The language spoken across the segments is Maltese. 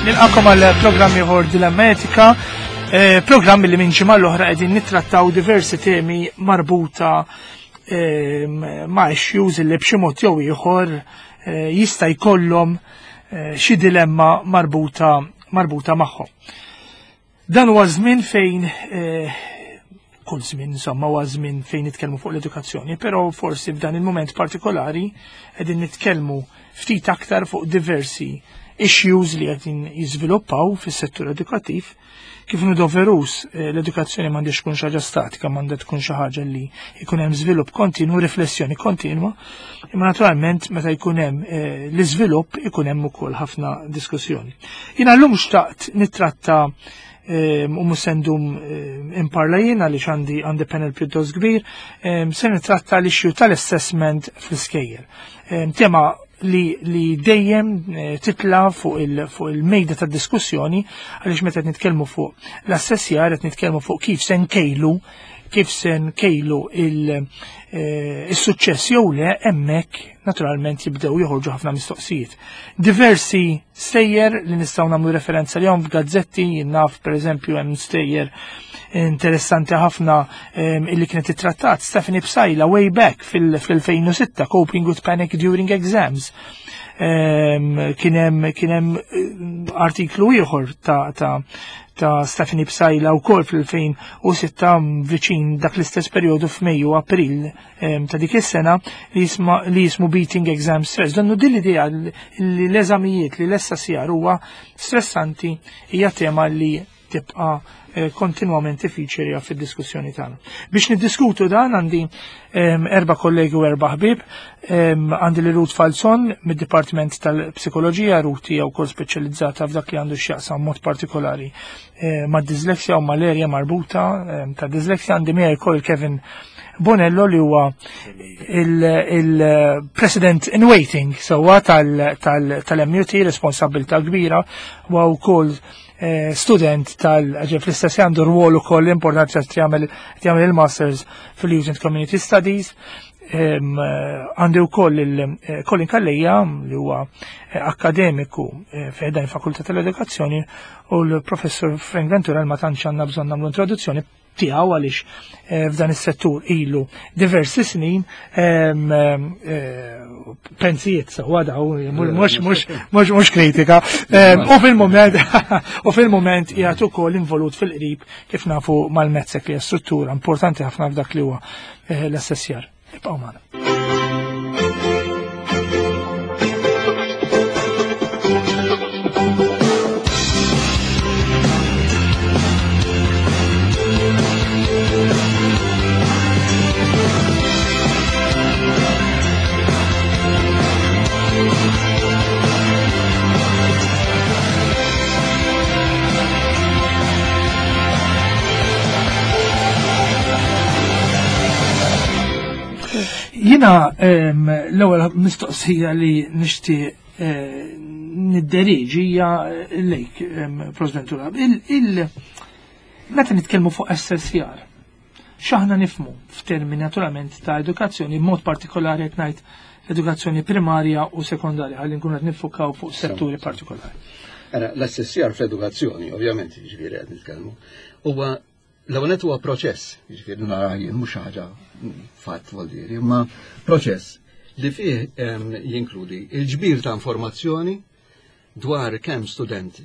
Nilqakom għal programm ieħor Dilemma Etika, eh, programm li minn ġimgħa l-oħra qegħdin nittrattaw diversi temi marbuta eh, ma' issues li b'xi mod jew ieħor eh, jista' jkollhom xi dilemma marbuta marbuta magħhom. Dan huwa żmien fejn eh, kull żmien insomma huwa żmien fejn nitkellmu fuq l-edukazzjoni, però forsi f'dan il-mument partikolari qegħdin nitkellmu ftit aktar fuq diversi issues li qegħdin jiżviluppaw fis-settur edukattiv. Kif nu doverus eh, l-edukazzjoni m'għandix tkun xi ħaġa statika, m'għandha tkun xi ħaġa li jkun hemm żvilupp kontinu, riflessjoni kontinwa, imma naturalment meta jkun hemm eh, l-iżvilupp ikun hemm ukoll ħafna diskussjoni. Jiena llum xtaqt nittratta eh, u mhux se ndum imparla jien għaliex għandi għandi panel pjuttost kbir, se nittratta l-issue tal-assessment fl-iskejjel. Tema li, li dejjem eh, titla fuq il-mejda il ta' diskussjoni għaliex meta qed nitkellmu fuq l-assessjar qed nitkellmu fuq kif se nkejlu kif se nkejlu eh, il-suċċess jew le hemmhekk naturalment jibdew joħorġu ħafna mistoqsijiet. Diversi stejjer li nistgħu nagħmlu referenza lihom f'gazzetti, naf pereżempju hemm stejjer interessanti ħafna illi kienet ittrattat Stephanie Psaila way back fil-2006 Coping with Panic During Exams. Kien hemm kien hemm eh, artiklu ieħor ta' ta' ta' Stephanie Psaila wkoll fil-2006 viċin dak l-istess perjodu f'Mejju April ta' dik is-sena li jisma li jismu Beating Exam Stress. Donnu din l-idea li l-eżamijiet li l-essasjar huwa stressanti hija tema li tibqa' eh, kontinwament tiffiċerja fid-diskussjoni tagħna. Biex niddiskutu dan għandi erba' kollegi u erba' ħbieb, għandi li Ruth Falzon mid-Dipartiment tal-Psikoloġija, Ruth hija wkoll speċjalizzata f'dak li għandu x'jaqsam mod partikolari eh, ma' disleksja u mal-erja marbuta ta' disleksja għandi miegħi wkoll Kevin Bonello li huwa il-President in waiting sewwa tal-MUT, responsabilità kbira, huwa wkoll eh, student tal fl-istess għandu rwol ukoll importanti għax jagħmel il-Masters fil-Youth and Community Studies. Eh, għandi wkoll il-Colin eh, Calleja li huwa akademiku fejn il-Fakultà tal-Edukazzjoni u l-Professur Frank Ventura ma tantx għandna bżonn nagħmlu introduzzjoni tiegħu għaliex eh, f'dan is-settur ilu diversi snin eh, pensijiet sewwa daw mhux mhux mhux mhux kritika. U fil-mument u fil-mument qiegħed ukoll involut fil-qrib kif nafu mal-mezzek li hija struttura importanti ħafna f'dak li huwa eh, l-assessjar. Ibqgħu magħna. Jina l-ewwel mistoqsija li nixtieq eh, nidderiġi hija lejk, President Turab. Meta nitkellmu fuq SSR, x'aħna nifmu f'termini naturalment ta' edukazzjoni, b'mod partikolari qed ngħid edukazzjoni primarja u sekondarja, ħalli nkunu qed nifukaw fuq setturi partikolari. Ara, l-assessjar fl-edukazzjoni, ovvjament, ġifieri qed nitkellmu, huwa l-ewwel huwa proċess, jiġifieri nara jien mhux ħaġa fatt vuol imma proċess li fih jinkludi il-ġbir ta' informazzjoni dwar kemm student,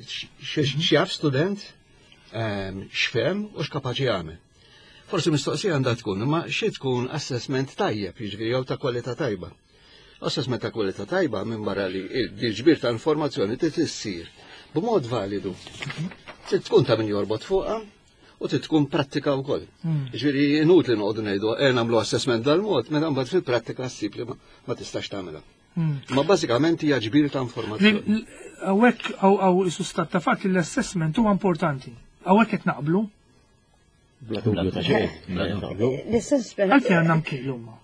x'jaf student, x'fhem u x'kapaċi jagħmel. Forsi mistoqsija għandha tkun, imma xi tkun assessment tajjeb, jiġifieri jew ta' kwalità tajba. Assessment ta' kwalità tajba minn barra li l-ġbir ta' informazzjoni trid issir b'mod validu. Trid tkun ta' min jorbot fuqha u trid tkun prattika wkoll. Hmm. Ġifieri inutli noqogħdu ngħidu e nagħmlu assessment dal-mod, meta mbagħad fil-prattika ssib li ma tistax tagħmilha. Hmm. Ma bażikament hija ġbir ta' informazzjoni. Hawnhekk hawn isu stat ta' fatt li l-assessment huwa importanti. Hawnhekk qed naqblu. Bla dubju ta' xejn. L-assessment. Għalfejn għandna mkejlu ma.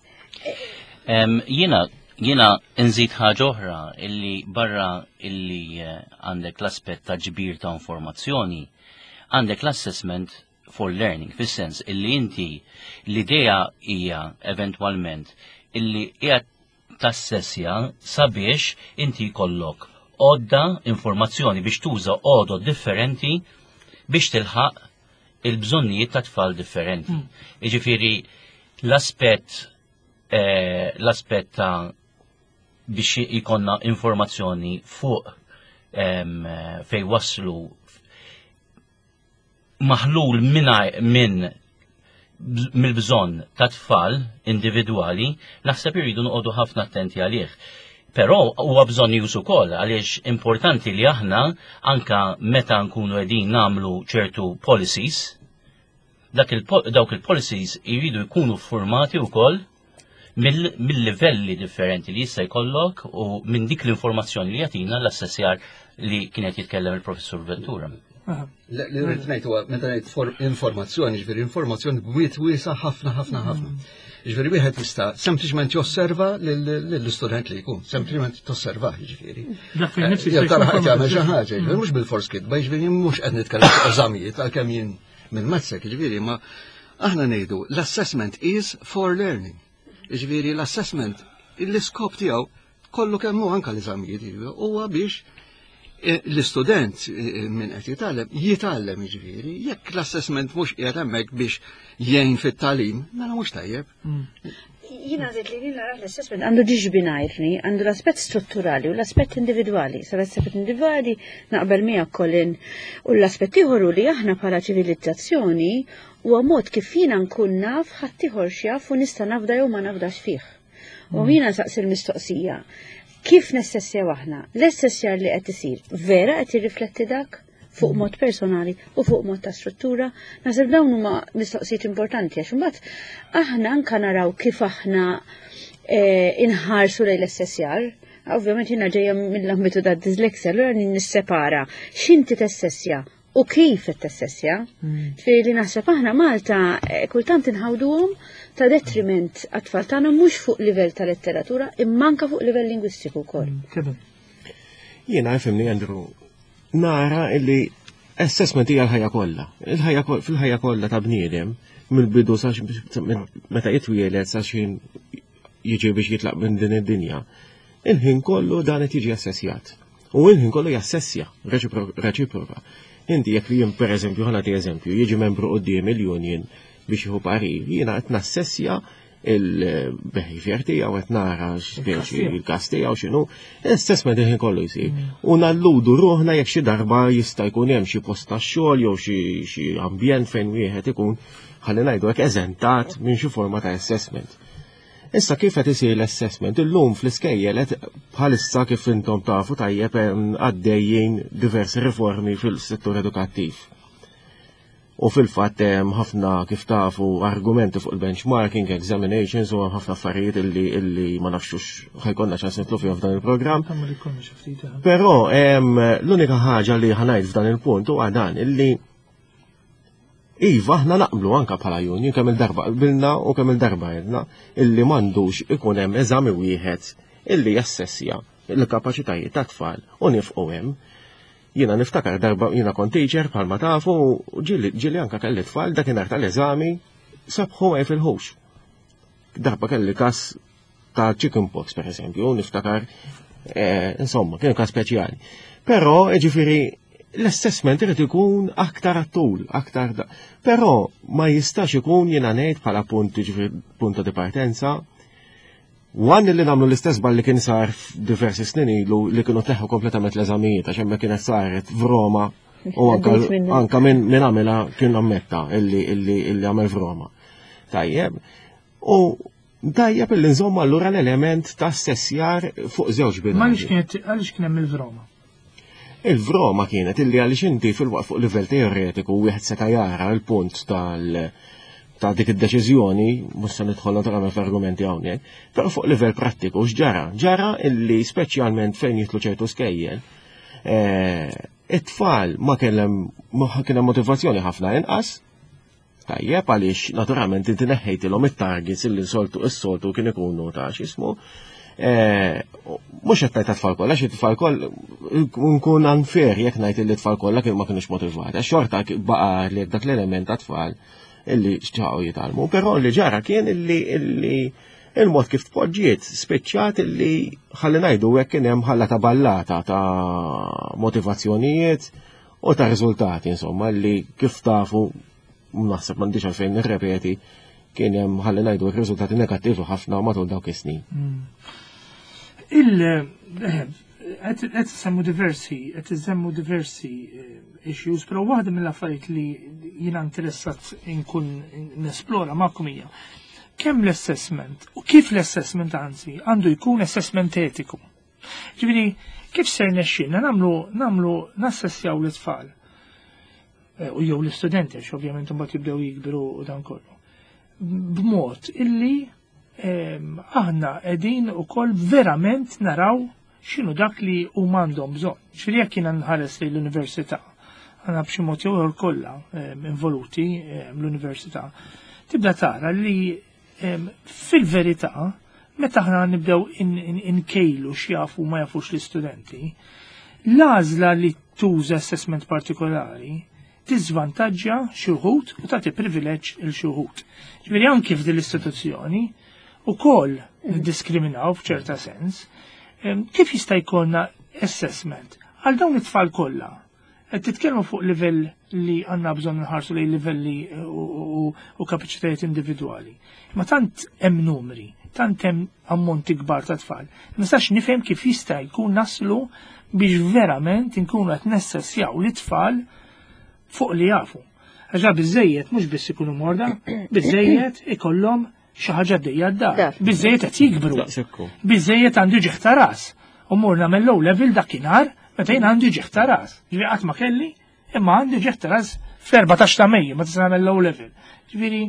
Jiena jiena nżid ħaġa oħra illi barra illi eh, għandek l-aspett ta' ġbir ta' informazzjoni, għandek l-assessment for learning, fis-sens illi inti l-idea hija eventwalment illi qiegħed tassessja sabiex inti jkollok. għodda informazzjoni biex tuża għodod differenti biex tilħaq il-bżonnijiet ta' tfal differenti. Jiġifieri l-aspett eh, l-aspett ta' biex ikonna informazzjoni fuq fej waslu maħlul minn mill-bżonn ta' tfal individwali, naħseb irridu noqogħdu ħafna attenti għalih. Però huwa bżonn już ukoll għaliex importanti li aħna anka meta nkunu qegħdin nagħmlu ċertu policies, dawk il-policies jridu jkunu formati wkoll mill-livelli differenti li jista' jkollok u minn dik l-informazzjoni li jagħtina l-assessjar li kienet jitkellem il-professur Ventura. Li rrid ngħid huwa meta ngħid informazzjoni, ġifieri informazzjoni bwiet wiesa' ħafna ħafna ħafna. Ġifieri wieħed jista' sempliċement josserva lill-istudent li jkun, sempliċement tosserva ġifieri. Dak fejn nifsi Jew tara ħadd jagħmel xi ħaġa, ġifieri mhux bil-fors kitba, ġifieri mhux qed nitkellem fuq eżamijiet għalkemm jien minn mazzek, ġifieri ma aħna ngħidu l-assessment is for learning. Ġifieri l-assessment l-iskop tiegħu kollu kemm hu anke l-eżamijiet huwa biex eh, l-istudent eh, minn qed jitgħallem jitgħallem jiġifieri jekk l-assessment mhux qiegħed hemmhekk biex jgħin fit-tagħlim, mela mhux tajjeb. Jina għazit li jina l-assessment għandu ġiġ binajrni, għandu l-aspet strutturali u l-aspet individuali. Sa l-aspet individuali naqbel miegħek Colin u l-aspet ieħor li aħna bħala ċivilizzazzjoni huwa mod kif jiena nkun naf ħaddieħor x'jaf u nista' nafda jew ma nafdax fih. U jiena saqsi l-mistoqsija, kif nessessjaw aħna? L-essessjar li qed isir vera qed jirrifletti dak? Fuq mod personali u fuq mod ta' struttura. Naħseb dawn huma mistoqsijiet importanti għax imbagħad aħna anka naraw kif aħna eh, inħarsu lejn l-essessjar. Ovvjament jiena ġejja mill-ambitu ta' dislexia, allura nissepara x'inti tessessja u kif qed tessessja. Ġifieri li naħseb aħna Malta eh, kultant inħawduhom ta' detriment għat-tfal tagħna mhux fuq livell ta' letteratura imma anka fuq livell lingwistiku wkoll. Kevin. Jiena ifhimni Andrew, nara illi assessment hija l-ħajja kollha. Il-ħajja fil-ħajja kollha ta' bniedem mill-bidu sa meta jitwieled sa xi jiġi biex jitlaq minn din id-dinja. Il-ħin kollu dan qed jiġi assessjat. U il-ħin kollu jassessja reċiproka. Inti jekk jien pereżempju ħa nagħti eżempju, jiġi membru quddiem il-union biex jieħu parir, jiena qed nassessja il-behavior tiegħu qed nara x'speċi il-każ tiegħu x'inhu, l-assessment il-ħin kollu jsir. U nalludu ruħna jekk xi darba jista' jkun hemm xi post tax-xogħol jew xi ambjent fejn wieħed ikun ħalli ngħidu hekk eżentat minn xi forma ta' assessment. Issa kif qed isir l-assessment? Illum fl-iskejjel qed bħalissa kif intom tafu tajjeb għaddejjin diversi riformi fil-settur edukattiv. U fil-fatt hemm ħafna kif tafu argumenti fuq il-benchmarking, examinations u hemm ħafna affarijiet illi illi ma nafxux ħajkonna ċans nitlu fihom f'dan il-programm. Eh. Però l-unika ħaġa li ħanajt f'dan il-punt huwa dan illi Iva, aħna naqblu anka bħala union kemm il-darba qbilna u kemm il-darba għedna illi m'għandux ikun hemm eżami wieħed illi jassessja l-kapaċitajiet tat-tfal u nifqu hemm. Jiena niftakar darba jiena kont teacher bħalma tafu u ġieli anka kelli tfal dakinhar tal-eżami sabħu ma jifilħux. Darba kelli każ ta' chicken pox per eżempju, niftakar, eh, insomma, kien każ speċjali. Però, ġifieri, l-assessment irid ikun aktar għat-tul, aktar da. Però ma jistax ikun jiena ngħid bħala punt ġifieri punta di partenza One li nagħmlu l-istess bal li kien sar diversi snin ilu li kienu teħu kompletament l-eżamijiet għax hemmhekk kienet saret f'Roma u anka minn min għamilha kien ammetta illi illi illi għamel f'Roma. Tajjeb. U tajjeb illi nżomm allura l-element ta' stessjar fuq żewġ binarji. Ma għaliex kien hemm il-Vroma? Il-vroma kienet illi għaliex inti fil-waqt fuq livell teoretiku wieħed seta' jara l-punt tal ta' dik id-deċiżjoni, mhux se nidħol naturalment fl-argumenti hawnhekk, però fuq livell prattiku x'ġara? Ġara illi speċjalment fejn jitlu ċertu skejjel, eh, it-tfal ma kellem ma kien hemm motivazzjoni ħafna inqas, Tajjeb għaliex naturalment inti neħħejtilhom it-targets illi soltu s-soltu kien ikunu ta' x'ismu. Eh, mhux qed ngħid tfal kollha, xi tfal koll nkun unfair jekk ngħid illi tfal kollha kien ma kinux motivati. Għax xorta baqa' li dak l-element ta' tfal illi xtaqgħu jitgħallmu. Però li ġara kien illi illi Il-mod kif tpoġġiet spiċċat li ħalli ngħidu hekk kien hemm ħalla ta' ballata ta' motivazzjonijiet u ta' riżultati insomma li kif tafu naħseb m'għandix għalfejn nirrepeti kien hemm ħalli ngħidu riżultati negattivi ħafna matul dawk is-snin. Il qed semmu diversi, qed iżemmu diversi issues, però waħda mill-affarijiet li jiena interessat inkun nesplora magħkom hija kemm l-assessment u kif l-assessment anzi għandu jkun assessment etiku. Ġifieri, kif ser nexxinna nagħmlu nagħmlu nassessjaw l-itfal u jew l-istudenti għax ovvjament imbagħad jibdew jikbru u dan kollu. B'mod illi aħna qegħdin ukoll verament naraw x'inhu dak li huma għandhom bżonn. Ġifieri jekk jiena nħares lejn l-università, għandna b'xi mod jew ieħor kollha involuti l-università, tibda tara li fil-verità meta aħna nibdew inkejlu x'jafu ma jafux l-istudenti, l-għażla li tuża assessment partikolari tiżvantaġġja xi wħud u tagħti privileġġ il xi wħud. Ġifieri anki f'din l-istituzzjoni ukoll niddiskriminaw f'ċerta sens, kif jista' jkollna assessment għal dawn it-tfal kollha? Qed titkellmu fuq livell li għandna bżonn nħarsu lejn livelli u kapaċitajiet individwali. Ma tant hemm numri, tant hemm ammonti kbar ta' tfal. Ma nistax nifhem kif jista' jkun naslu biex verament inkunu qed nessessjaw l-itfal fuq li jafu. Għaxa biżejjed mhux biss ikunu morda, biżejjed ikollhom xi ħaġa għaddejja d-dar. Biżejjed qed jikbru. Biżejjed għandu ġieħ ta' ras. U mur nagħmel low level dakinhar meta jien għandi ġieħ ta' ras. Ġifieri qatt ma kelli, imma għandi ġieħ ta' ras fl-14 ta' Mejju ma tista' nagħmel low level. Ġifieri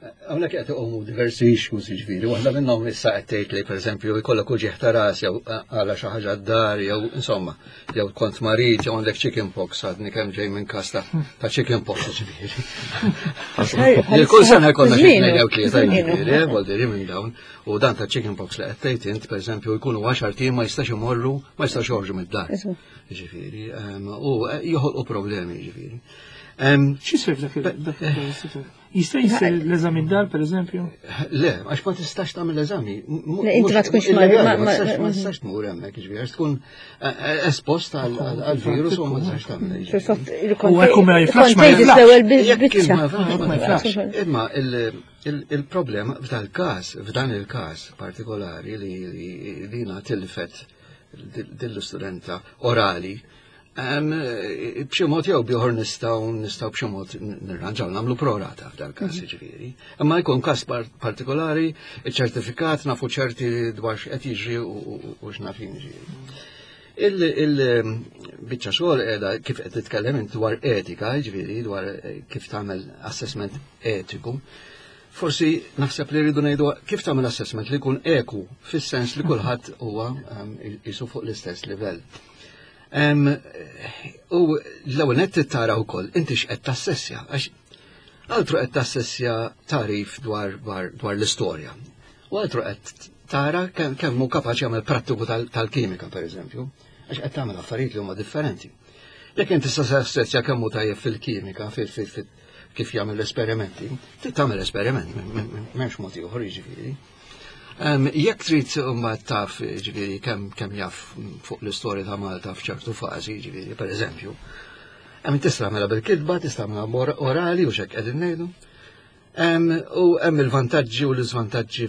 Hawnhekk qed iqumu diversi issues jiġifieri, waħda minnhom issa qed tgħid li pereżempju jkollok uġieħ ta' ras jew għala xi ħaġa d-dar jew insomma, jew kont marid jew għandek chicken pox għadni kemm ġej minn każ ta' chicken pox jiġifieri. Kull sena jkollna xi tnejn jew tlieta jiġifieri, eh, voldiri minn dawn. U dan ta' chicken pox li qed tgħid int pereżempju jkunu għaxar tim ma jistax imorru, ma jistax joħorġu mid-dar. Jiġifieri, u eh, joħolqu problemi jiġifieri. X'isir dak Jista' jsir l-eżami d-dar, per eżempju? Le, għax ma tistax tagħmel eżami. Inti ma tkunx ma tistax tmur hemmhekk, jiġifieri għax tkun eh, eh, espost għall-virus u ma tistax tagħmel. U hekk ma jiflax ma jiflax. Imma il-problema f'dal-każ, f'dan il-każ partikolari li dina tilfet dill-istudenta orali, B'xi mod jew bieħor nistgħu nistgħu b'xi mod nirranġaw nagħmlu prorata f'dal każ mhm. jiġifieri. Imma jkun każ partikolari, iċ-ċertifikat nafu ċerti dwar x'qed jiġri u x'naf jiġri. Il-biċċa xogħol qiegħda kif qed titkellem int dwar etika, jiġifieri dwar eh, kif tagħmel assessment etiku. Forsi naħseb li rridu ngħidu kif tagħmel assessment li jkun eku fis-sens li kulħadd huwa jisu fuq l-istess livell. U l-ewwel nett tara wkoll inti x'qed tassessja għax altru qed tassessja tarif dwar dwar l-istorja. U altru qed tara kemm hu kapaċi jagħmel prattiku tal-kimika pereżempju, għax qed tagħmel affarijiet li huma differenti. Jekk inti tassessja kemm hu tajjeb fil-kimika, kif jagħmel l-esperimenti, trid tagħmel esperiment, m'hemmx mod ieħor jiġifieri. Jekk trid mbagħad taf ġifieri kemm kemm jaf fuq l-istorja ta' Malta f'ċertu fażi, ġifieri pereżempju, hemm tista' tagħmilha bil-kitba, tista' tagħmilha orali u x'hekk qegħdin ngħidu. U hemm il-vantaġġi u l-iżvantaġġi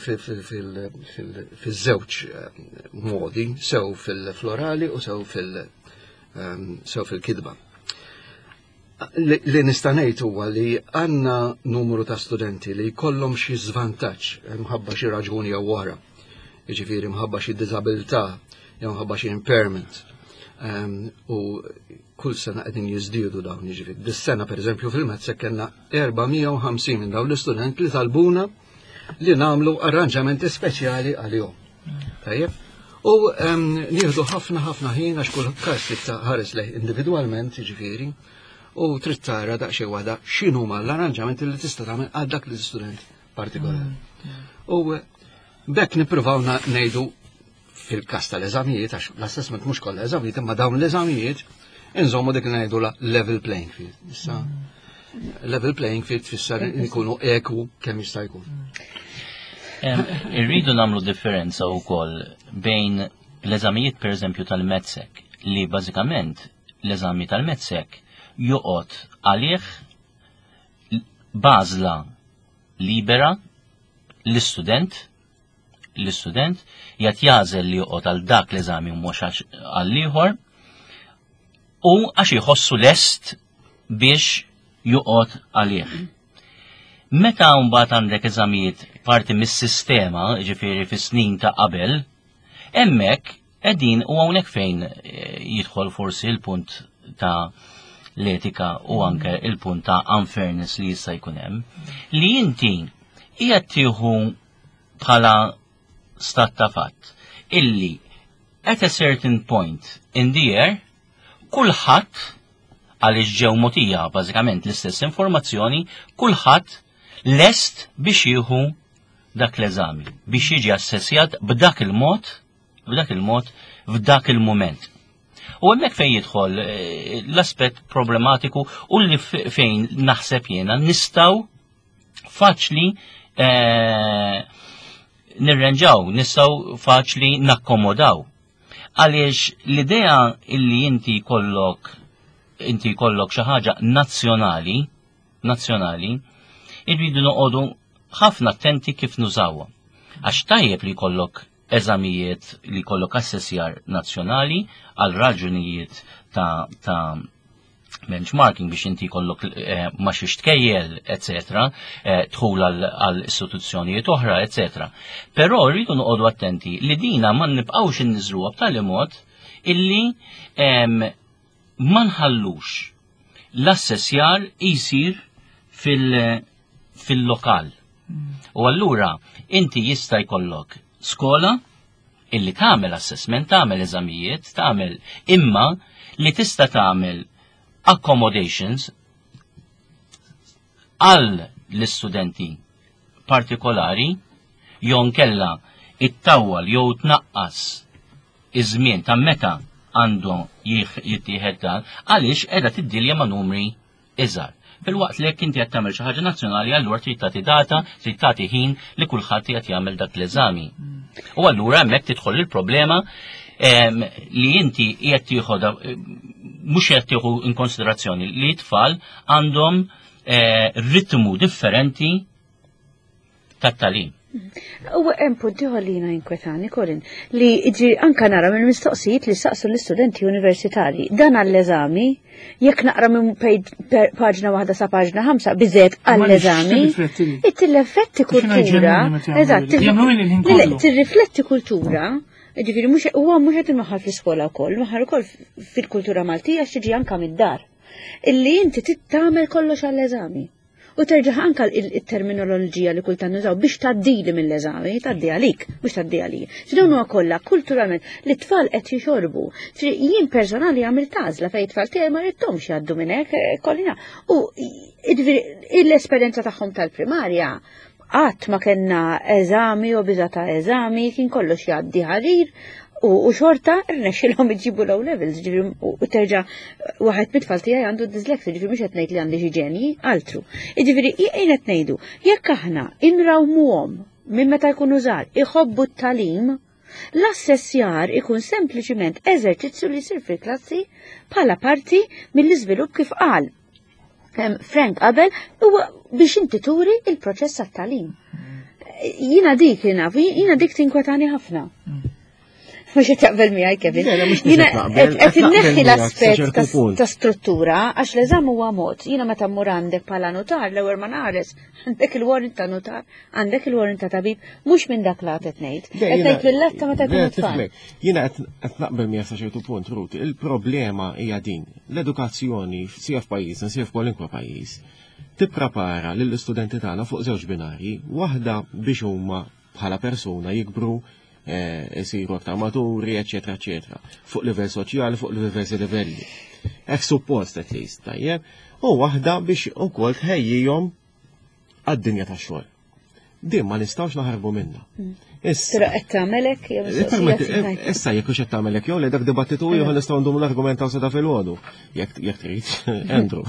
fiż-żewġ modi, sew fil-florali u sew fil- sew fil-kitba. Li nista' ngħid huwa li għandna numru ta' studenti li jkollhom xi żvantaġġ mħabba xi raġuni jew oħra. Jiġifieri mħabba xi diżabilità jew mħabba xi impairment. Ehm, u kull sena qegħdin jiżdiedu dawn jiġifieri. Dis-sena pereżempju fil-Mezz kellna 450 minn dawn l-istudent li talbuna li nagħmlu arranġamenti speċjali għalihom. Tajjeb? U ehm, nieħdu ħafna ħafna ħin għax kull każ trid ħares lej individwalment, jiġifieri, u trid tara daqsxejn waħda x'inhuma l-arranġamenti li tista' tagħmel għal dak l-istudent partikolari. Mm. U bekk nippruvaw ngħidu fil-każ tal-eżamijiet, għax l-assessment mhux kollha eżamijiet, imma dawn l-eżamijiet inżommu dik li ngħidu la level playing field. Issa level playing field tfisser nkunu eku kemm jista' jkun. Irridu nagħmlu differenza wkoll bejn l-eżamijiet pereżempju tal-MATSEC li bażikament l-eżami tal-MATSEC joqgħod għalih b'għażla libera l-istudent l-istudent jgħat jagħżel li joqgħod għal dak l-eżami u mhux għal ieħor u għax jħossu lest biex joqgħod għalih. Meta mbagħad għandek eżamijiet parti mis-sistema, ġifieri fis-snin ta' qabel, hemmhekk qegħdin u hawnhekk fejn eh, jidħol forsi l-punt ta' l-etika u anke il-punt ta' unfairness li jista' jkun hemm, li inti qiegħed tieħu bħala stat ta' fatt illi at a certain point in the year kulħadd għaliex ġew mogħtija bażikament l-istess informazzjoni, kulħadd lest biex jieħu dak l-eżami, biex jiġi assessjat b'dak il-mod, b'dak il-mod, f'dak il-mument. U hemmhekk fejn jidħol eh, l-aspett problematiku u li fejn naħseb jiena nistgħu faċli eh, nirrenġaw, nistgħu faċli nakkomodaw. Għaliex l-idea illi inti jkollok inti jkollok xi ħaġa nazzjonali, nazzjonali, irridu noqogħdu ħafna attenti kif nużawha. Għax tajjeb li jkollok eżamijiet li jkollok assessjar nazzjonali għal raġunijiet ta', ta benchmarking biex inti jkollok eh, ma xiex tkejjel, etc., eh, dħul għal istituzzjonijiet oħra, etc. Però rridu noqogħdu attenti li dina ma nibqgħux inniżluha b'tali mod illi ma nħallux l-assessjar jsir fil-lokal. U allura inti jista' jkollok skola illi tagħmel assessment, tagħmel eżamijiet, tagħmel imma li tista' tagħmel accommodations għal l-istudenti partikolari jew nkella ittawwal jew tnaqqas iż-żmien ta' meta għandu jittieħed dan għaliex qiegħda tiddilja ma' numri iżgħar. Filwaqt li jekk inti qed tagħmel xi ħaġa nazzjonali allura trid tagħti data, trid tagħti ħin li kulħadd qed jagħmel dak l-eżami. U allura hemmhekk tidħol il-problema li inti qiegħed tieħu mhux qed tieħu in konsiderazzjoni li t-tfal għandhom eh, ritmu differenti tat-tagħlim. U hemm punt ieħor li jiena jinkwetani, Colin, li ġi anka nara minn mistoqsijiet li saqsu l-istudenti universitarji. Dan għall-eżami, jekk naqra minn paġna waħda sa paġna ħamsa biżgħet għall-eżami, tirrifletti kultura, eżatt, tirrifletti kultura, ġifieri mhux huwa mhux qed inwaħħal fl-iskola wkoll, nwaħħal ukoll fil-kultura Maltija x'tiġi anka mid-dar. Illi inti tagħmel kollox għall-eżami. U terġa' anka il-terminoloġija li kultant nużaw biex tgħaddili mill-eżami, tgħaddi għalik, mhux tgħaddi għalija. Dawn huwa kollha kulturalment li t-tfal qed jixorbu. Jien personali għamilt għażla fejn it-tfal tiegħi ma ridthomx jgħaddu minn hekk eh, kollina. U l-esperjenza tagħhom tal-primarja qatt ma kellna eżami u biża ta' eżami, kien kollox jgħaddi ħarir u xorta rnexxilhom iġibu low levels, ġifieri u terġa' waħed mit-tfal tiegħi għandu dyslexia, ġifieri mhux qed ngħid li għandi xi ġenji, altru. Jiġifieri jien qed ngħidu, jekk aħna inrawmuhom minn meta jkunu żgħar iħobbu t-tagħlim, l-assessjar ikun sempliċiment eżerċizzju li jsir fil-klassi bħala parti mill-iżvilupp kif qal Frank qabel huwa biex inti turi il-proċess għat-tagħlim. Jina dik jina, jina dik tinkwetani ħafna. Mux qed jaqbel miegħi Kevin. Jina qed inneħħi l-aspett ta' struttura għax l-eżam huwa mod. Jiena meta mmur għandek bħala notar l-ewwel ma naħares għandek il-warrant ta' notar, għandek il-warrant ta' tabib, mhux minn dak lat qed ngħid. Qed ngħid mill-lat ta' meta jkunu tfal. Jiena qed naqbel miegħek sa ċertu punt, Ruth, il-problema hija din. L-edukazzjoni sija f'pajjiżna, sija f'kwalunkwe pajjiż, tipprepara lill-istudenti tagħna fuq żewġ binarji, waħda biex huma bħala persuna jikbru eh, isiru aktar maturi, eċetera, eċetera, fuq livell soċjali, fuq diversi livelli. Hekk suppost at least, tajjeb, u waħda biex ukoll tħejjihom għad-dinja tax-xogħol. Din ma nistgħux naħarbu minnha. Issa. Però qed tagħmel hekk jew eh, Issa jekk hux qed tagħmel hekk jew le dak dibattitu ieħor nistgħu ndumu nargumentaw sa ta' filgħodu jekk jekk trid, Andrew.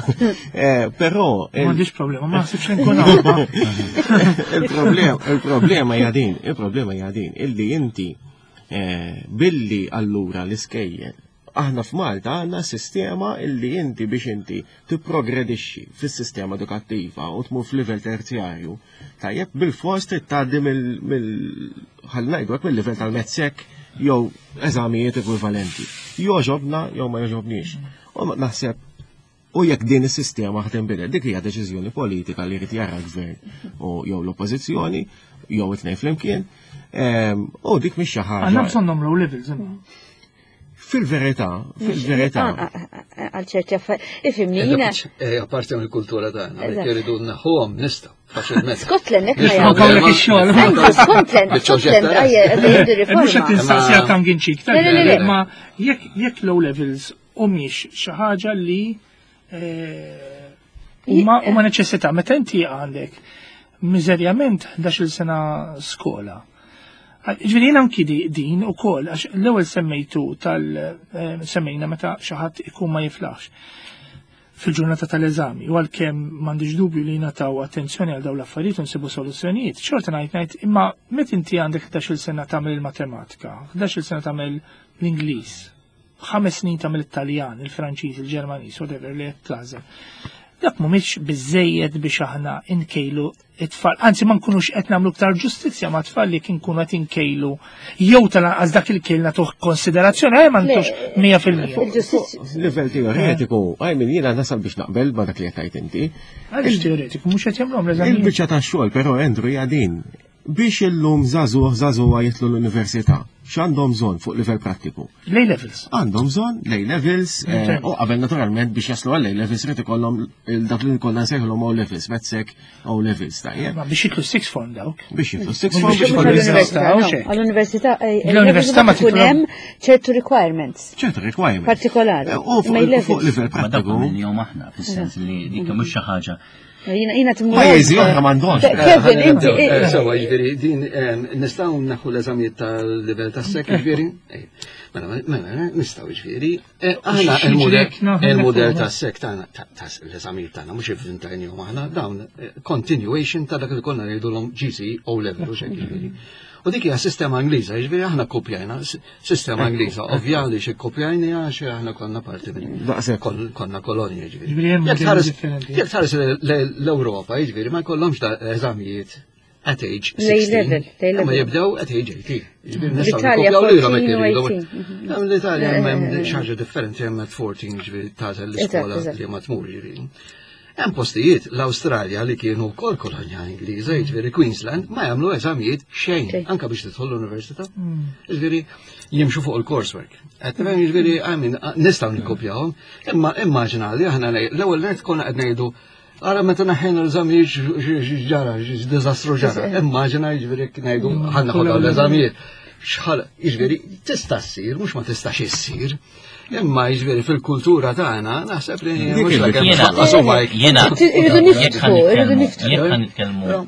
Eh, però M'għandix problema, ma naħsibx nkun hawn. Il-problema, il-problema hija din, il-problema hija din illi inti eh, billi allura l-iskejjel Aħna f'Malta għandna sistema illi inti biex inti tipprogredixxi fis-sistema edukattiva u tmur f'livell terzjarju, tajjeb bil-fors trid tgħaddi mill ħalli ngħidu hekk mill-livell tal-mezzek jew eżamijiet ekwivalenti. Jogħġobna jew ma jogħġobniex. U naħseb U jekk din is-sistema ħa tinbidel, dik hija deċiżjoni politika li jrid jara l-gvern u jew l-oppożizzjoni jew it-tnejn flimkien. Ehm, u dik mhix xi ħaġa. Għandna bżonn nagħmlu levels imma. Fil-verità, fil-verità. Ah, ah, ah, għal ċerti affarijiet. Ifimni jiena. Eh, apparti mill-kultura tagħna, jekk irridu naħuhom nistgħu. Faċilment. Scotland hekk ma jagħmlu. ix-xogħol. Scotland, Scotland, ejja, Mhux qed tinsaqsi għal tanginċik, ma jekk low levels humiex xi ħaġa li eh, huma huma neċessità. Meta inti għandek miżerjament 11-il sena skola. Ġifieri jien anki din ukoll għax l-ewwel semmejtu tal eh, semmejna meta xi ħadd ikun ma jiflaħx fil-ġurnata tal-eżami u għalkemm m'għandix dubju li jingħataw attenzjoni għal dawn l-affarijiet u nsibu soluzzjonijiet, xorta ngħid ngħid imma meta inti għandek 11-il sena tagħmel il-matematika, 11-il sena tagħmel l-Ingliż, ħames snin tagħmel it-Taljan, il-Franċiż, il-Ġermaniż, whatever li qed tagħżel. Dak mhumiex biżejjed biex aħna nkejlu it-tfal, anzi ma nkunux qed nagħmlu iktar ġustizzja ma' tfal li kien nkunu qed inkejlu jew tal-anqas dak il-kejl nagħtuh konsiderazzjoni eh, ma ntux 100%. Livell teoretiku, għaj min jiena nasal biex naqbel ma dak li qed tgħid inti. Għaliex teoretiku mhux qed jagħmluhom l-eżamijiet. Il-biċċa tax-xogħol però Andrew hija din. Biex illum żagħżugħ, żagħżugħa jidħlu l-università, x'għandhom bżonn fuq livell prattiku? L-A levels. Għandhom bżonn l-A levels, eh, u qabel naturalment biex jaslu għall-A levels irid ikollhom dak li konna nsejħulhom O levels, Metsek O levels, tajjeb. Ma biex jitlu six form dawk. Biex jitlu six form biex jitlu l-università. Għall-università, eh, l-università ma tkun hemm ċertu requirements. ċertu requirements. Partikolari. Eh, u fuq livell prattiku. Ma dak minnhom aħna fis-sens li dik mhux xi ħaġa Jina jina timur. Pajjiżi oħra m'għandhomx. Kevin, inti. Eh, eh, sewa, jiġifieri din nistgħu naħu l-eżamijiet tal-livell tas-sek, jiġifieri. Eh, mela, mela, nistgħu jiġifieri. Aħna il-mudell tas-sek tagħna l-eżamijiet tagħna mhux ivvintajnihom aħna dawn continuation ta' dak li konna ngħidulhom GC O level u xejn jiġifieri. U dik hija sistema Ingliża, jiġifieri aħna kopjajna Sistema Ingliża, ovvja li xi kopjajni għax aħna konna parti minn. Konna kolonja ġifieri. Jekk tħares l-Ewropa, jiġifieri ma jkollhomx da eżamijiet at age 16. Ma jibdew at age 18. Ġifieri nistgħu nikopjaw lilhom jekk iridu. L-Italja hemm xi ħaġa differenti hemm at 14 ġifieri tagħżel l-iskola li ma tmur ġifieri. Hemm postijiet l-Awstralja li kienu wkoll kolonja Ingliża, jiġifieri Queensland, ma jagħmlu eżamijiet xejn, anke biex tidħol l-università. Hmm. Jiġifieri jimxu fuq il-coursework. Qed tifhem jiġifieri I mean nistgħu nikkopjawhom, imma immaġina li aħna l-ewwel nett konna qed ngħidu Ara meta naħħejna l-eżamijiet ġara, diżastru ġara. Immaġina jiġifieri jekk ngħidu hmm. ħanna ħodha l-eżamijiet. Xħal, jiġifieri tista' ssir, mhux ma tistax issir. Imma jiġifieri fil-kultura tagħna naħseb li mhux la kemm tfaqqas huma Jiena irridu niftħu, irridu niftħu. Jekk nitkellmu.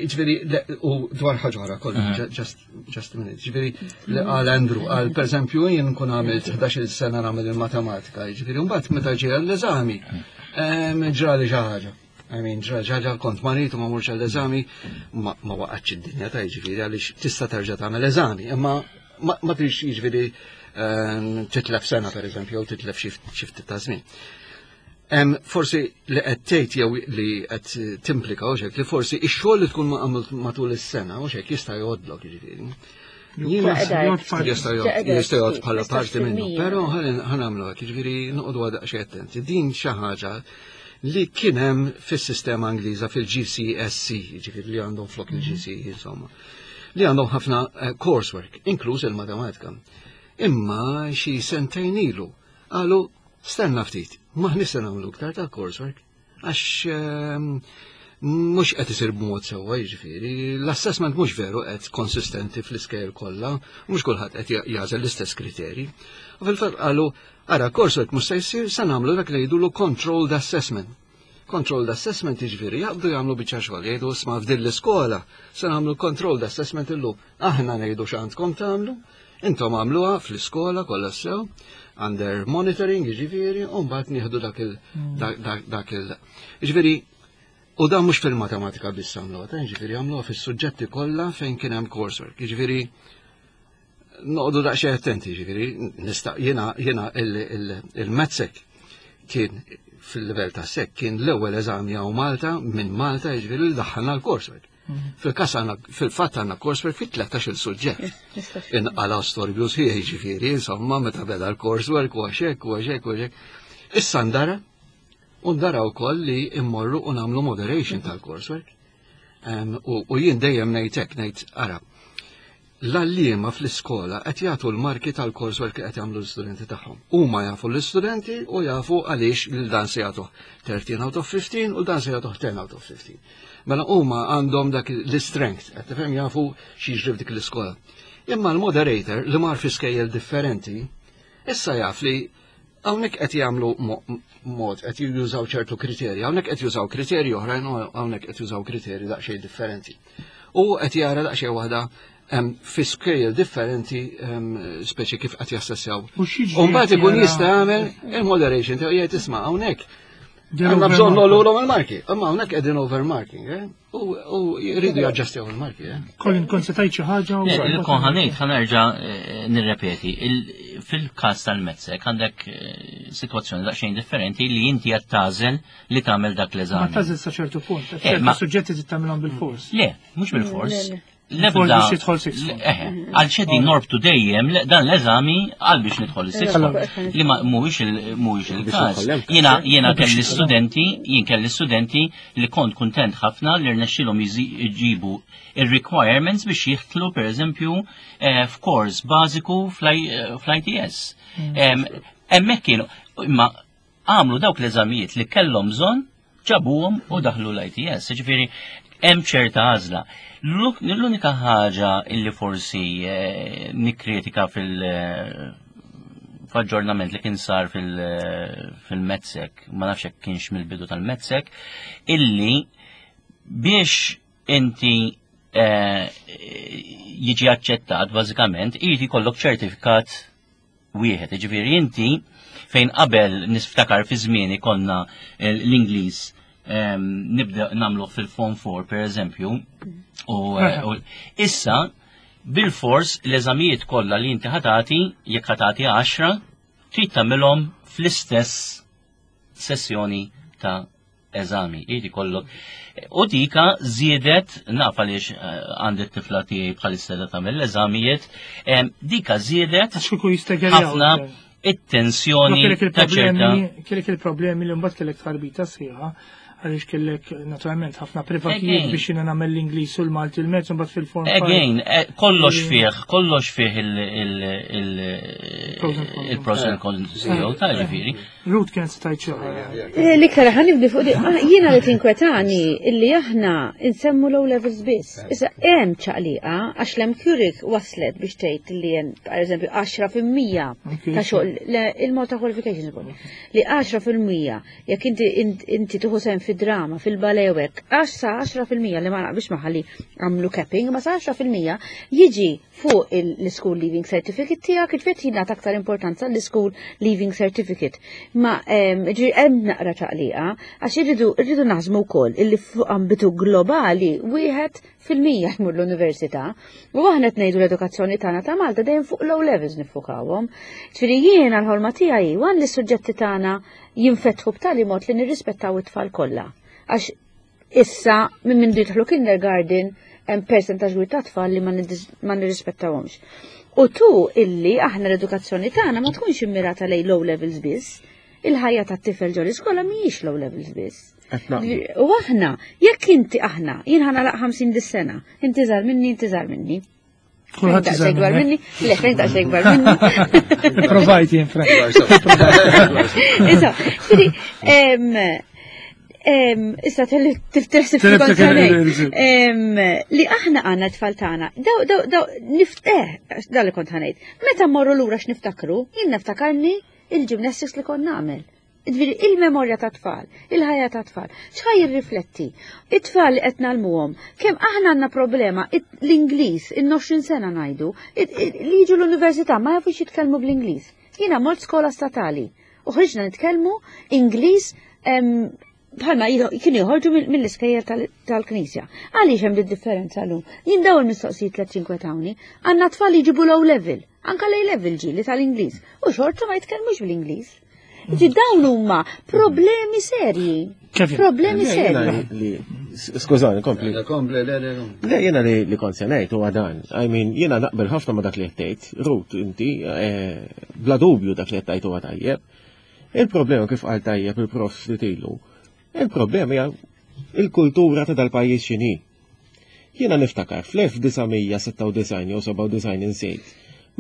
Jiġifieri u dwar ħaġa oħra kollu, just a minute. Jiġifieri li qal Andrew, qal pereżempju jien nkun għamilt 11-il sena nagħmel il-matematika, jiġifieri mbagħad meta ġie l-eżami ġrali xi ħaġa. I mean, ġraġa kont marit u ma murx għall-eżami, ma waqgħatx id-dinja ta' jiġifieri għaliex tista' terġa' tagħmel eżami, imma ma trix jiġifieri ehm, titlef sena pereżempju jew titlef xi ftit ta' żmien. Forsi li qed tgħid jew li qed timplika u li forsi ix-xogħol li tkun matul is-sena u xek jista' jgħodlok jiġifieri. Jista' jgħod bħala parti minnu, però ħanamlu hekk, jiġifieri noqogħdu għadaq attenti. Din xi ħaġa li kien hemm fis-sistema Ingliża fil-GCSE, jiġifieri li għandhom flok il-GCE insomma, li għandhom ħafna eh, coursework, inkluż il-matematika. Imma xi sentejn ilu qalu stenna ftit, maħniex se nagħmlu iktar ta' coursework għax ehm, mhux qed isir b'mod sewwa jiġifieri, l-assessment mhux veru qed konsistenti fl-iskejl kollha, mhux kulħadd qed jażel l-istess kriterji. U fil-fatt qalu Ara, coursework mhux se jsir, se nagħmlu dak li jgħidulu controlled assessment. Controlled assessment jiġifieri jaqbdu jagħmlu biċċa xogħol, jgħidu isma' f'din l-iskola se nagħmlu controlled assessment illum. Aħna ngħidu x'għandkom tagħmlu, intom għamluha fl-iskola kollha sew, under monitoring jiġifieri, u mbagħad nieħdu dak il dak il. Jiġifieri u dan mhux fil-matematika biss għamluha, jiġifieri għamluha fis-suġġetti kollha fejn kien hemm coursework. Jiġifieri noqogħdu daqsxejn attenti, ġifieri, nista' jiena jiena il-MATSEC kien fil-livell ta' SEC kien l-ewwel eżami hawn Malta minn Malta jiġifieri li daħħalna l-coursework. Mhm. Fil-kas għandna fil-fatt għandna coursework fit 13 il-suġġett. Inqala storbju sħiħ jiġifieri, insomma, meta beda l-coursework u għaxek u għaxek u għaxek. Issa ndara, u ndara wkoll li immorru u nagħmlu moderation tal-coursework. U jien dejjem ngħid hekk, ngħid ara, L-għalliema fl-iskola qed jagħtu l-marki tal-coursework li qed jagħmlu l-istudenti tagħhom. Huma jafu l-istudenti u jafu għaliex lil dan se jagħtuh 13 out of 15 u dan se jagħtuh 10 out of 15. Mela huma għandhom dak l-strength, qed tifhem jafu x'jiġri f'dik l-iskola. Imma l-moderator li mar fi skejjel differenti, issa jaf li hawnhekk qed jagħmlu mod qed jużaw ċertu kriterji, hawnhekk qed jużaw kriterji oħrajn u hawnhekk qed jużaw kriterji daqsxejn differenti. U qed jara daqsxejn waħda fi scale differenti speċi kif qed jassessjaw. U mbagħad ikun jista' jagħmel il-moderation tiegħu jgħid isma' hawnhekk. Għandna bżonn nolulhom il-marki, imma hawnhekk qegħdin overmarking, eh? U jridu jaġġastjaw il-marki, eh? Colin, kont se tgħid xi ħaġa? Kont ħanejt, ħanerġa' eh, nirrepeti. Fil-każ tal-Mezzek għandek eh, sitwazzjoni daqsxejn differenti li inti qed tagħżel li tagħmel dak l-eżami. Ma tagħżel sa ċertu punt, ċertu suġġetti trid tagħmilhom bil-fors. Le, mhux bil-fors. L-ebda. Eh, għal xedi norbtu dejjem dan l-eżami għal biex nidħol is-six li ma mhuwiex il-każ. Jiena jiena kelli studenti, jien kelli studenti li kont kuntent ħafna li rnexxilhom jġibu ir-requirements biex jidħlu pereżempju eh, f'kors bażiku eh, fl-ITS. Mm. Hemmhekk kienu imma għamlu dawk l-eżamijiet li kellhom bżonn, ġabuhom u daħlu l-ITS. Ġifieri hemm ċerta għażla. L-unika ħaġa illi forsi eh, nikkritika fil- eh, f'aġġornament li kien sar eh, fil-Metzek, ma nafx hekk kienx mill-bidu tal-Metzek, illi biex inti jiġi aċċettat bażikament irid jkollok ċertifikat wieħed. Jiġifieri inti fejn qabel niftakar fi żmieni konna eh, l-Ingliż ehm, nibda nagħmluh fil-Form 4 per eżempju, u eh, issa bil-fors l-eżamijiet kollha li inti ħatati jekk ħatati 10 trid tagħmilhom fl-istess sessjoni ta' eżami, irid ikollok. U dika żiedet, naf għaliex eh, għandi t-tifla tiegħi bħalissa da tagħmel l-eżamijiet, dika żiedet ħafna it-tensjoni ta' ċerta. Kellek il-problemi li mbagħad kellek tarbita sħiħa għaliex kellek naturalment ħafna privatijiet biex jiena nagħmel l-Ingliż u l-Malti l-mezz mbagħad fil-form. Again, eh, kollox fih, kollox fih il-pros and cons tiegħu ta' ġifieri. Ruth kienet se tgħid xi ħaġa. Eh, l-iktar ħa nibdi fuq di, ah, jiena li tinkwetani illi aħna nsemmu low levels biss. Issa hemm ċaqliqa għax l-MQRIC waslet biex tgħid li hemm pereżempju 10% ta' xogħol il-Malta Qualifications Board li 10% jekk inti inti tieħu sehem fid-drama, fil-balewek, għax sa 10% li ma naqbilx magħha li għamlu capping, ma sa 10% jiġi fuq l-School Leaving Certificate tiegħek, ġifieri jingħata aktar importanza l-School Leaving Certificate. Ma ġifieri hemm naqra ċaqliqa għax irridu irridu naħsmu wkoll illi fuq ambitu globali wieħed fil-mija jmur l-università u aħna qed ngħidu l-edukazzjoni tagħna ta' Malta dejjem fuq low levels niffukawhom. Ġifieri jiena l-ħolma tiegħi wan li s-suġġetti tagħna jinfetħu b'tali mod li nirrispettaw it-tfal kollha. Għax Issa, minn minn jidħlu kindergarten, hemm percentaġġ kbir ta' tfal li ma nirrispettawhomx. U tu illi aħna l-edukazzjoni tagħna ma tkunx immirata lejn low levels biss. Il-ħajja tat-tifel ġol iskola mhijiex low levels biss. U aħna, jekk inti aħna, jien ħana laq 50 dis-sena, inti żgħar minni, inti żgħar minni. Kulħadd iżgħar ikbar minni. Le, fejn daqsxejn ikbar minni. Provajt jien Frank. Issa, ġifieri, issa tifteħsib li aħna għandna tfal tagħna. Daw, daw, daw, nift, eh, dal li kont ħanejt. Meta mmorru lura x'niftakru, jien niftakarni il-gymnastics li kont nagħmel. Ġifieri il-memorja ta' tfal, il-ħajja ta' tfal, x'ħa jirrifletti? It-tfal li qed ngħallmuhom, kemm aħna għandna problema l-Ingliż, in-20 sena ngħidu, li jiġu l-università ma jafux jitkellmu bl-Ingliż. Jiena mort skola statali u ħriġna nitkellmu Ingliż bħalma kienu joħorġu mill-iskejjel tal-Knisja. Għaliex hemm differenza llum? Jien daw il-mistoqsijiet li tinkwetawni, għandna tfal li jġibu low level, anka l level ġieli tal-Ingliż, u xorta ma jitkellmux bl-Ingliż. Ġi dawn huma problemi serji. Problemi serji. Skużani, kompli. Kompli, le, le, le. Jena li kont se ngħid huwa dan. I mean, jiena naqbel ħafna ma dak li qed tgħid. Rut, inti, eh, bla dubju dak li qed tgħid huwa tajjeb. Il-problema kif qal tajjeb il-prof Fritilu, il-problema hija il-kultura ta' dal-pajjiż x'inhi. Jiena niftakar fl-1996 jew 97 insejt,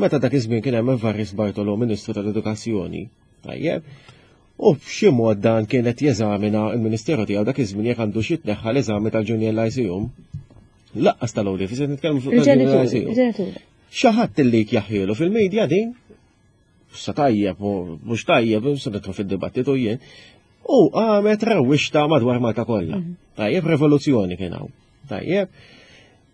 meta dak iż-żmien kien hemm Evarist Bartolo Ministru tal-Edukazzjoni, tajjeb, u b'xi mod dan kien qed jeżamina l-Ministeru tiegħu dak iż-żmien jekk għandu xi tneħħa l-eżami tal-Junior Lyceum. Laqqas tal-O Level, se nitkellmu fuq tal-Junior Lyceum. Xi ħadd illi jaħħielu fil-medja din sa tajjeb u mhux tajjeb, se nidħlu fid-dibattitu jien, u għamet rewwixta madwar Malta kollha. Mhm. Tajjeb, revoluzzjoni kien hawn. Tajjeb.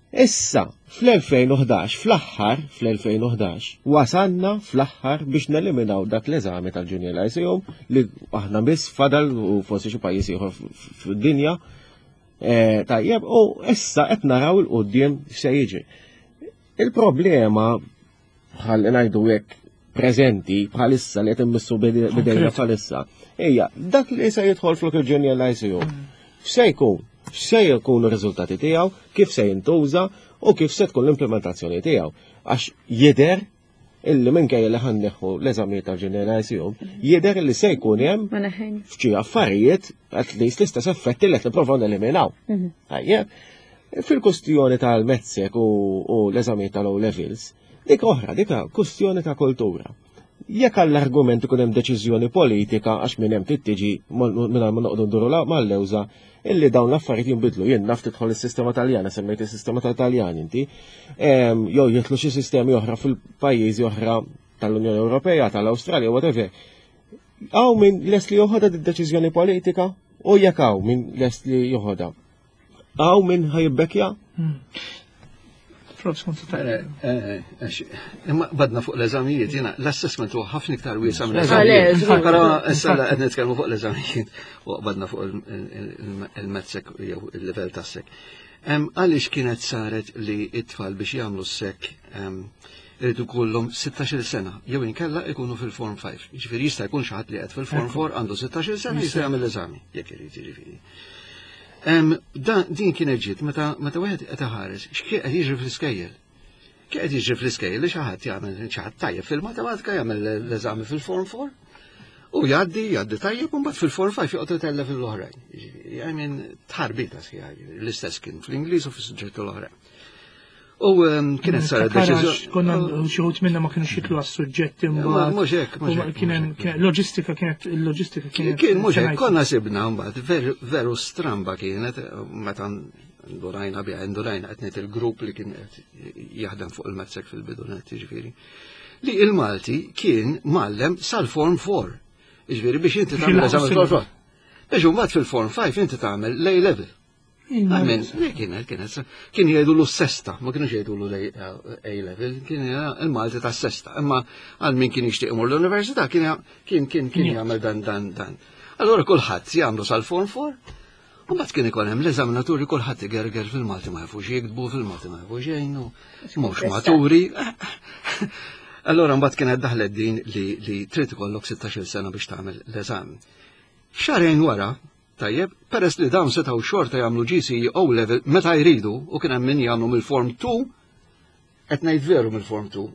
Issa, fl-2011, fl-aħħar, fl-2011, wasanna fl-aħħar biex neliminaw dak l-eżami tal-Junior Lyceum li aħna biss fadal u forsi xi pajjiż ieħor fid-dinja. Eh, tajjeb, u issa qed naraw il-qudiem x'se jiġi. Il-problema bħal ngħidu hekk preżenti bħalissa li qed immissu bidejna bħalissa. Ejja, dak li se jidħol flok il-Junior Lyceum. X'se jkun? X'se jkunu r-riżultati tiegħu, kif se jintuża u kif se tkun l-implementazzjoni tiegħu. Għax jidher illi minkejja li ħanneħħu l-eżamijiet tal-Junior Lyceum, jidher li se jkun hemm f'xi affarijiet at least l-istess effetti li qed nipprovaw neliminaw. Mhm. Tajjeb. Fil-kustjoni tal-mezzek u l-eżamijiet tal-O levels, dik oħra, dik kustjoni ta' kultura. Jekk għall-argument ikun hemm deċiżjoni politika għax minn hemm trid tiġi mingħajr ma noqogħdu nduru mal-lewża illi dawn l-affarijiet jinbidlu. Jien naf tidħol is-sistema Taljana, semmejt is-sistema tal-Taljan inti, jew jidħlu xi sistemi oħra fil-pajjiżi oħra tal-Unjoni Ewropea, tal-Awstralja, whatever. Hawn min lest li joħodha d-deċiżjoni politika u jekk hawn min lest li joħodha. Għaw minn ħajbekja? Hmm. Eh, eh, eh, imma badna fuq l-eżamijiet, jena l-assessment huwa ħafna iktar wiesa minn eżamijiet. Però issa qed nitkellmu fuq l-eżamijiet u badna fuq il-mezzek jew il-livell tas-sek. Għaliex kienet saret li it-tfal biex jagħmlu s-sek irridu kollhom 16 sena jew inkella ikunu fil-form 5. Ġifieri jista' jkun xi ħadd li qed fil-form 4 għandu 16 sena jista' jagħmel l-eżami jekk irid jiġifieri. Din kienet ġiet meta meta wieħed qed iħares x'kien qed jiġri fl-iskejjel. Kien qed jiġri fl-iskejjel li xi ħadd jagħmel xi ħadd tajjeb fil-matematika jagħmel l-eżami fil-form 4 u jgħaddi jgħaddi tajjeb u mbagħad fil-form 5 joqgħod itellef l-oħrajn. I mean tħarbita sħiħa l-istess kien fl-Ingliż u fis-suġġetti l-oħrajn. U ehm, kienet saret deċiżjoni. Konna xi ħut minna ma kienux jitlu għas-suġġetti mbagħad. Mhux hekk, mhux hekk. Loġistika kienet il-loġistika kienet. Kien mhux hekk, konna sibna mbagħad veru stramba kienet meta ndurajna biha, ndurajna qed ngħid il-grupp li kien qed jaħdem fuq il-mezzek fil-bidu net, jiġifieri. Li il-Malti kien mallem sal-form 4. Jiġifieri biex inti tagħmel eżami form 4. Biex imbagħad fil-form 5 inti tagħmel l-A level. Amen, kienet, kienet, kien jgħidu l sesta, ma kienux jgħidu l A level, kien il-Malti ta' sesta, imma għal min kien jixtieq imur l-università kien kien kien kien jagħmel dan dan dan. Allora kulħadd jagħmlu sal-form 4, u mbagħad kien ikun hemm l-eżaminaturi kulħadd igerger fil-Malti ma jafux jiktbu, fil-Malti ma jafux jgħinu, mhux maturi. Allora mbagħad kienet daħlet din li trid ikollok 16-il sena biex tagħmel l-eżami. Xahrejn wara, Tajjeb, peress li dawn setgħu xorta jagħmlu GCE O level meta jridu u kien hemm min jagħmlu mill-Form 2, qed ngħid veru mill-Form 2,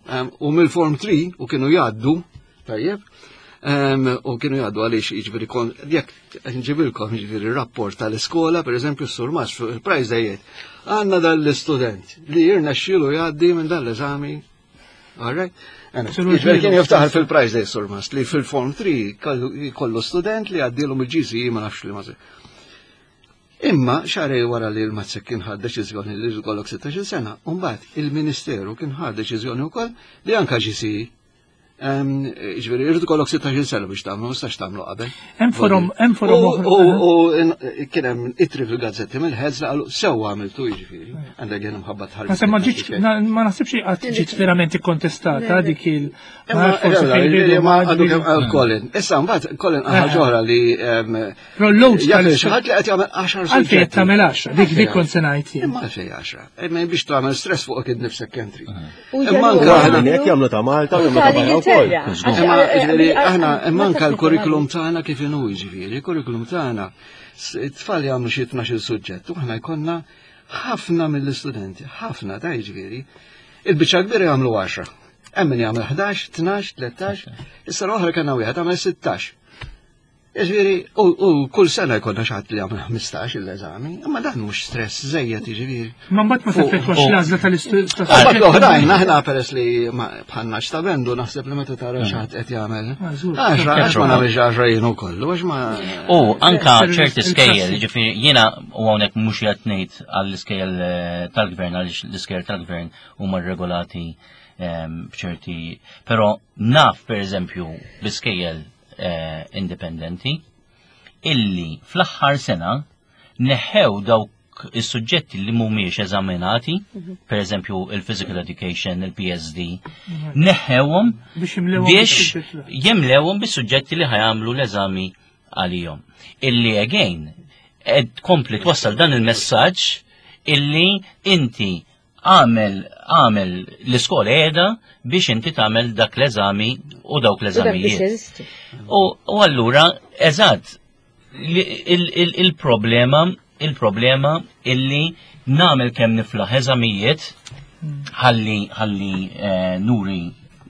u mill-Form 3 u kienu jgħaddu, tajjeb, u kienu jgħaddu għaliex jiġifieri kon jekk nġibilkom jiġifieri rapport tal-iskola, pereżempju s-surmas fuq il-prize dejjed, għandna dan l-istudent li jirnexxielu jgħaddi minn dan l-eżami All right? Ġifieri kien jiftaħar fil-prize day surmast li fil-form 3 kollu student li għaddilhom il-GCE ma nafx li ma Imma xarej wara li l-Mazzek kien ħad deċiżjoni li jkollok 16 sena, u mbagħad il-Ministeru kien ħad deċiżjoni wkoll li anka GCE. Ġifieri, irrid ikollok 16 sena biex tagħmlu, ma tistax tagħmlu qabel. Hemm forom, hemm forom oħra. U kien hemm itri fil-gazzetti mill-ħeż li qalu sewwa għamiltu jiġifieri. Għandek jien mħabba tħarġ. Naħseb ma ġietx ma naħsibx li qatt ġiet verament ikkontestata dik il. Ma għadu kemm qal Colin. Issa mbagħad Colin qal ħaġa oħra li Però l-load tal xi ħadd li qed jagħmel 10 suġġetti. Għalfejn qed tagħmel 10, dik dik kont se ngħid jien. Imma għalfejn 10. Imma biex tagħmel stress fuq id nifsek kemm trid. Imma anke aħna hekk jagħmlu ta' Malta u jagħmlu ta' barra wkoll. Imma ġifieri aħna imma anke l-kurrikulum tagħna kif inhu jiġifieri, il-kurrikulum tagħna it-tfal jagħmlu xi 12 suġġett u aħna jkollna ħafna mill-istudenti, ħafna ta' jiġifieri, il-biċċa kbira jagħmlu 10. Hemm min jagħmel 11, 12, 13, issa l-oħra kellna wieħed għamel 16. Jiġifieri, u kull sena jkollna xi ħadd li jagħmel 15 l-eżami, imma dan mhux stress żejjed jiġifieri. Ma mbagħad ma teffettwax l-għażla tal-istudent. Mbagħad l-oħrajn aħna peress li bħalna x'ta' naħseb li meta tara xi ħadd qed jagħmel. Għaxra, għax ma nagħmilx għaxra jien ukoll, għax ma. U anka ċerti skejjel, jiġifieri jiena u hawnhekk mhux qed ngħid għall-iskejjel eh, tal-gvern għaliex l-iskejjel tal-gvern huma regolati ehm, b'ċerti, però naf pereżempju bi skejjel eh, indipendenti illi fl-aħħar sena neħew dawk is-suġġetti li mhumiex eżaminati, mhm. per eżempju il-physical education, il-PSD, mhm. neħewhom biex jimlewhom bis-suġġetti li ħajamlu l-eżami għalihom. Illi again, ed kompli twassal dan il-messaġġ illi inti Għamel, għamel l-iskola qiegħda biex inti tagħmel dak l-eżami u dawk l-eżamijiet. U allura, eżatt, il-problema, il-problema illi nagħmel kemm niflaħ eżamijiet ħalli ħalli eh, nuri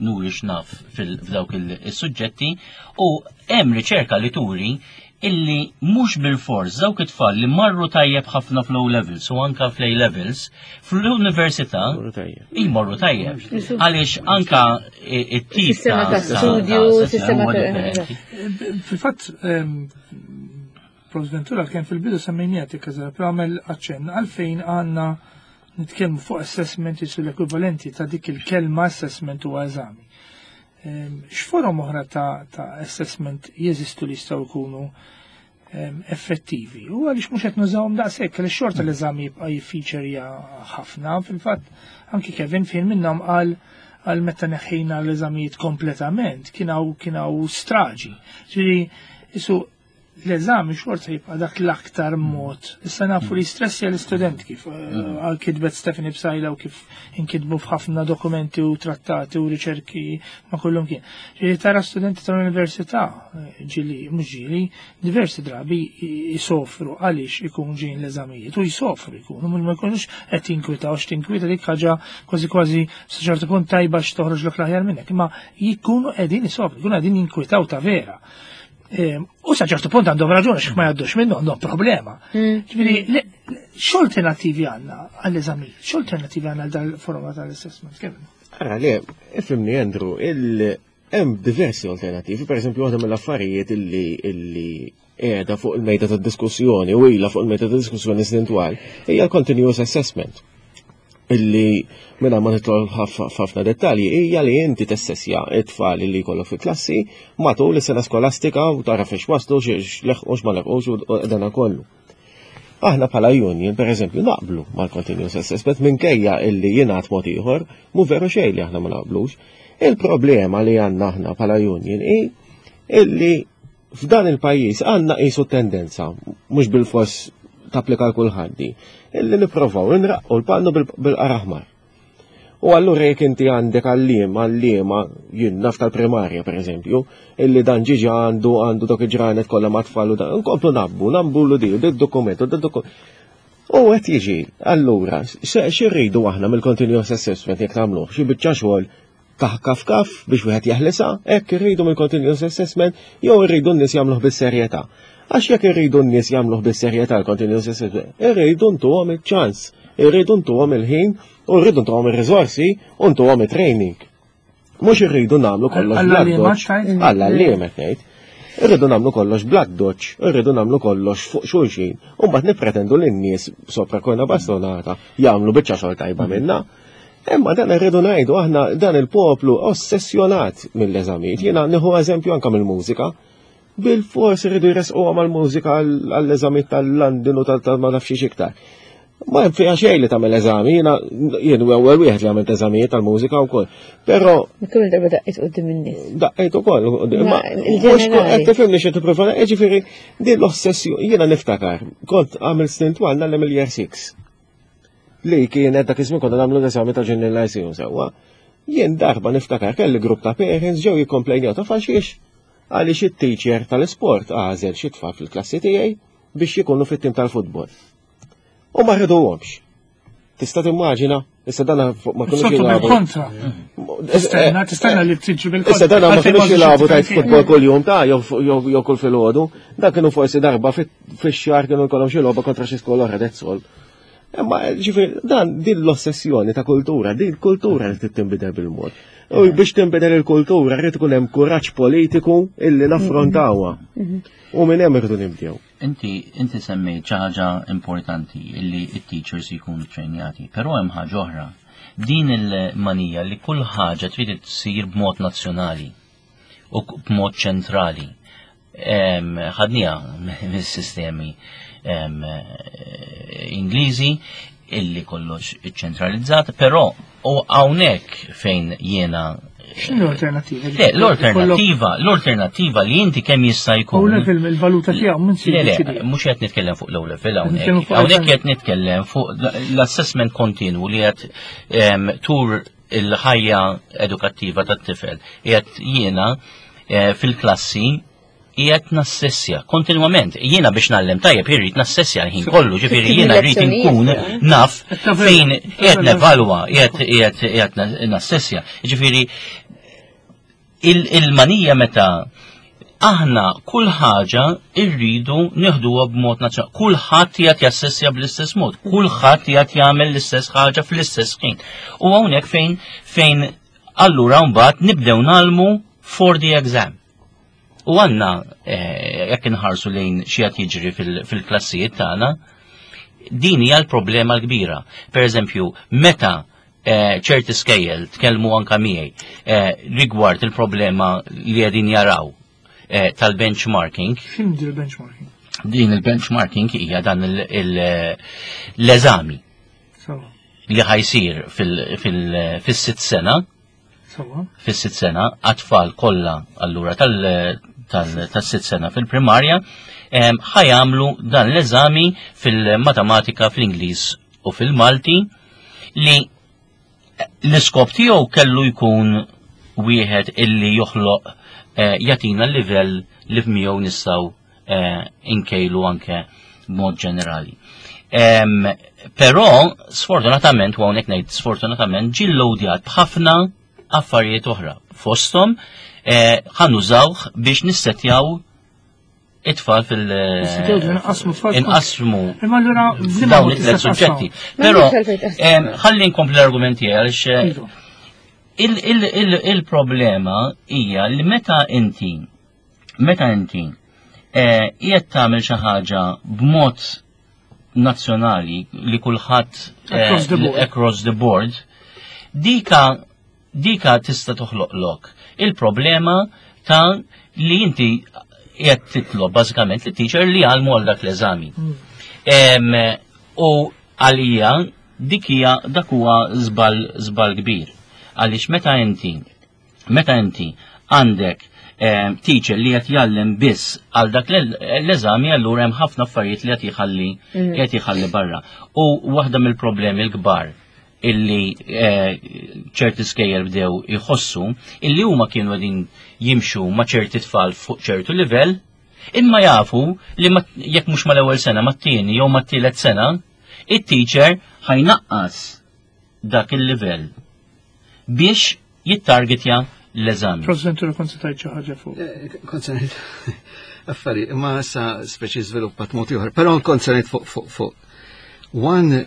nuri x'naf f'dawk il-suġġetti u hemm riċerka li turi illi mhux bilfors dawk it-tfal li marru tajjeb ħafna fl-O levels u anka fl-A levels fl-università jmorru tajjeb. Għaliex anka it-tip sistema ta' studju, sistema ta' Fil-fatt ehm, Prof. Ventura kien fil-bidu semmejnija tikkaża, però għamel aċċenn għalfejn għandna nitkellmu fuq assessment jisu l-ekwivalenti ta' dik il-kelma assessment huwa eżami. Ehm, x'forom oħra ta', ta assessment jeżistu li jistgħu jkunu ehm, effettivi. U għaliex mhux qed nużawhom daqshekk, għaliex xorta l-eżami jibqa' jiffeaturja ħafna, fil-fatt anki Kevin fejn minnhom qal għal meta neħħejna l-eżamijiet kompletament, kien hawn straġi. Ġifieri, isu l-eżami xorta jibqa' dak l-aktar mod. Issa nafu li stressja l-istudent kif eh, mm. għal kitbet Stephanie Psajla u kif inkitbu f'ħafna dokumenti u trattati u riċerki ma kullum kien. Ġieli tara studenti tal-università, eh, ġili, mhux ġili, diversi drabi jisofru għaliex ikun ġejn l-eżamijiet u jisofru jkunu, mhux ma jkunux qed jinkwitaw x'tinkwita dik ħaġa kważi kważi sa ċertu punt tajba x'toħroġ l aħjar minnek, imma jkunu qegħdin jisofru, jkunu qegħdin jinkwitaw ta' vera. U sa ċertu punt għandhom raġuni x'ma jgħaddux minnu għandhom problema. Mm. Ġifieri, x'alternattivi għandna għall-eżami? X'alternattivi għandna għal dal-forma tal-assessment? Kemm? Ara le, ifhimni Andrew, hemm diversi alternattivi, per eżempju waħda mill-affarijiet illi illi qiegħda fuq il-mejda tad-diskussjoni u ilha fuq il-mejda tad-diskussjoni snin twal hija l-continuous assessment illi minna ma nitol ħafna dettalji hija li inti tessessja it-tfal li jkollok fil-klassi matul is-sena skolastika u tara fiex waslu x'leħqux ma leħqux u dana kollu. Aħna bħala union, per eżempju, naqblu mal-continuous assessment minkejja illi jingħad mod ieħor, mu veru xejn li aħna ma naqblux. Il-problema li għandna aħna bħala union hi illi F'dan il-pajjiż għandna qisu tendenza, mhux bil-fors tapplika l kulħadd illi nipprovaw inraqqu l-pannu bil-qar aħmar. U allura jekk inti għandek għalliem, għalliema, jien naf tal-primarja per eżempju, illi dan ġiġa għandu għandu dok il-ġranet kollha ma' tfal u dan, nkomplu nabbu, nabbu l di, d-dokument, d-dokument. U qed jiġi, allura, x'irridu aħna mill-continuous assessment jekk nagħmluh, xi biċċa xogħol Kaf kaf kaf biex wieħed jeħlisha, hekk irridu mill-continuous assessment jew irridu n-nies jagħmluh bis-serjetà. Għax jekk irridu n-nies jagħmluh bis-serjetà l-continuous assessment, irridu ntuhom iċ-ċans, irridu ntuhom il-ħin u rridu ntuhom ir-riżorsi u ntuhom it-training. Mhux irridu nagħmlu kollox bl-addoċ. Alla li qed ngħid. Irridu nagħmlu kollox bl-addoċ, irridu nagħmlu kollox fuq xulxin, u mbagħad nippretendu lin-nies sopra korna bastonata jagħmlu biċċa xogħol tajba minna. Imma dan irridu ngħidu aħna dan il-poplu ossessjonat mill-eżamijiet. Jiena nieħu eżempju anke mill-mużika. Bil-fors irridu jresquha mal-mużika għall-eżamijiet tal-London u tal ma nafx iktar. Ma hemm fiha xejn li tagħmel eżami, jiena jien ewwel wieħed li għamilt eżamijiet tal-mużika wkoll. Però Kull darba daqqejt quddiem in-nies. Daqqejt ukoll, imma mhux qed tifhimni xi tipprova, jiġifieri din l-ossessjoni jiena niftakar, kont għamil snin twal nagħlem il-year 6. Li kienet dak iż-żmien konna nagħmlu l-eżami ta' Junior Lyceum sewwa. Jien darba niftakar kelli grupp ta' parents ġew jikkomplejnjaw ta' għalxiex għaliex it-teacher tal-isport għażel xi tfal fil-klassi tiegħi biex jikunu fit-tim tal-futbol. U ma rriduhomx. Tista' timmaġina, issa dan ma kinux jilagħbu. Kontra. Tistenna, tistenna li tiġi bil-kontra. Issa dan ma kinux jilagħbu tajt futbol kuljum ta' jew kull filgħodu. Dan kienu forsi darba fix-xahar kienu jkollhom xi logħba kontra xi skola oħra that's all. Imma ġifieri dan din l-ossessjoni ta' kultura, din kultura li trid tinbidel bil-mod. U biex tinbidel il-kultura rrid ikun hemm kuraġġ politiku illi naffrontawha. U minn hemm irridu nibdew. Inti inti semmejt xi ħaġa importanti illi t-teachers jkunu trejnjati, però hemm ħaġa oħra. Din il-manija li kull ħaġa trid tsir b'mod nazzjonali u b'mod ċentrali. Ħadniha mis-sistemi Ingliżi illi kollox iċċentralizzat, però u hawnhekk fejn jiena X'inhu l-alternativa? Le, l-alternativa, l-alternativa li inti kemm jista' jkun. O level il-valuta tiegħu minn Le, le, mhux qed nitkellem fuq l-O level hawnhekk. Hawnhekk qed nitkellem fuq l-assessment kontinwu li qed tur il-ħajja edukattiva tat-tifel. Qiegħed jiena eh, fil-klassi qiegħed nassessja kontinwament. Jiena biex nallem tajjeb irrid nassessja l-ħin kollu, ġifieri jiena rrid inkun naf fejn qiegħed nevalwa, qiegħed qiegħed nassessja. Ġifieri il-manija meta aħna kull ħaġa irridu nieħduha b'mod nazzjonali. Kulħadd qiegħed jassessja bl-istess mod, kulħadd qiegħed jagħmel l-istess ħaġa fl-istess ħin. U hawnhekk fejn fejn allura mbagħad nibdew nagħlmu for the exam. U għanna, eh, jekk inħarsu lejn xi qed jiġri fil-klassijiet tagħna, din hija l-problema l-kbira. Per eżempju, meta eh, ċerti skejjel tkellmu anka miegħi eh, rigward il-problema li qegħdin jaraw tal-benchmarking. X'inhi il-benchmarking? Din il-benchmarking hija dan l-eżami li ħajsir fil-sitt sena fis-sitt sena għat-tfal kollha allura tas-sitt sena fil-primarja ħajamlu dan l-eżami fil-matematika, fl-Ingliż u fil-Malti li l-iskop tiegħu kellu jkun wieħed illi joħloq eh, jagħtina l-livell li f'miegħu nistgħu eh, inkejlu anke b'mod ġenerali. Però, sfortunatament, u hawnhekk ngħid sfortunatament, ġie loadjat b'ħafna affarijiet oħra. Fosthom eh, ħanużawh biex nissetjaw it-tfal fil- inqasmu dawn it-tlet suġġetti. Però ħalli nkompli l-argumenti għaliex eh, iva. il-problema hija li meta inti meta inti eh, qiegħed tagħmel xi ħaġa b'mod nazzjonali li kulħadd eh, across the board, dika dika tista' toħloqlok il-problema ta' li inti qed titlob bażikament li teacher li għalmu għal dak l-eżami. Hmm. U għalija dik hija dak huwa żball żball kbir. Għaliex meta inti Meta inti għandek eh, teacher li qed jgħallem biss għal dak l-eżami allura hemm ħafna affarijiet li qed jħalli mm. qed jħalli barra. U waħda mill-problemi l-kbar illi eh, ċerti skejjel bdew jħossu illi huma kienu qegħdin jimxu ma' ċerti tfal fuq ċertu livell, imma jafu li jekk mhux mal-ewwel sena mat-tieni jew mat-tielet sena, it-teacher ħajnaqqas dak il-livell biex jittargetja l-eżami. President, kont se tgħid xi ħaġa fuq. Eh, kont se ngħid affari, imma issa speċi żviluppat mod ieħor, però kont se ngħid fuq fuq fuq. One